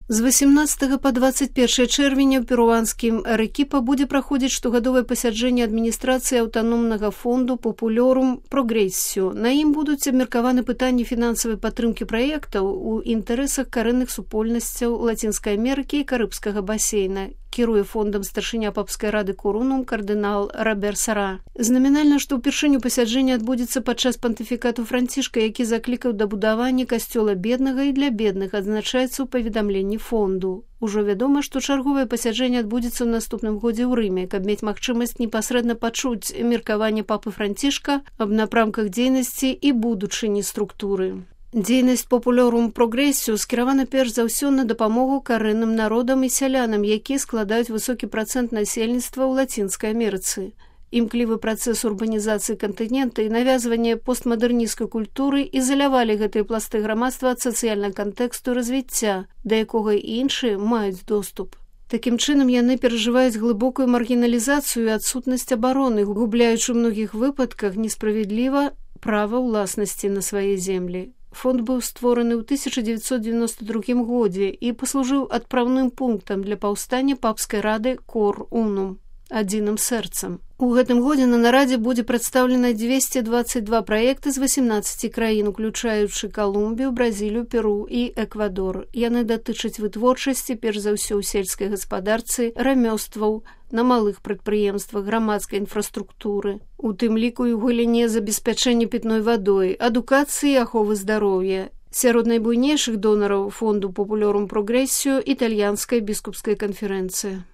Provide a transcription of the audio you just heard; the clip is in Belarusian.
З 18 па 21 чэрвеня ў перуанскім Арекіпа будзе праходзіць штогадовае пасяджэнне адміністрацыі аўтаномнага фонду Populorum Progressio. На ім будуць абмеркаваны пытанні фінансавай падтрымкі праектаў у інтарэсах карэнных супольнасцяў Лацінскай Амерыкі і Карыбскага басейна. Кіруе фондам старшыня папскай рады Корунум кардынал Робер Сара. Знамінальна, што ўпершыню пасяджэнне адбудзецца падчас пантыфікату Францішка, які заклікаў да будавання касцёла беднага і для бедных, адзначаецца ў паведамленні фонду. Ужо вядома, што чарговае пасяджэнне адбудзецца ў наступным годзе ў Рыме, каб мець магчымасць непасрэдна пачуць меркаванне папы Францішка аб напрамках дзейнасці і будучыні структуры. Дзейнасць Populorum Progressio скіравана перш за ўсё на дапамогу карэнным народам і сялянам, якія складаюць высокі працэнт насельніцтва ў Лацінскай Амерыцы. Імклівы працэс урбанізацыі кантынента і навязванне постмадэрнісцкай культуры ізалявалі гэтыя пласты грамадства ад сацыяльнага кантэксту развіцця, да якога і іншыя маюць доступ. Такім чынам яны перажываюць глыбокую маргіналізацыю і адсутнасць абароны, губляючы ў многіх выпадках несправядліва права ўласнасці на свае землі. Фонд быў створаны ў 1992 годзе і паслужыў адпраўным пунктам для паўстання папскай рады Cor Unum, адзіным сэрцам. У гэтым годзе на нарадзе будзе прадстаўлена 222 праекты з 18 краін, уключаючы Калумбію, Бразілію, Перу і Эквадор. Яны датычаць вытворчасці, перш за ўсё ў сельскай гаспадарцы, рамёстваў, на малых прадпрыемствах, грамадскай інфраструктуры, у тым ліку і ў галіне забеспячэння пітной вадой, адукацыі і аховы здароўя. Сярод найбуйнейшых донараў фонду Populorum Progressio італьянская біскупская канферэнцыя.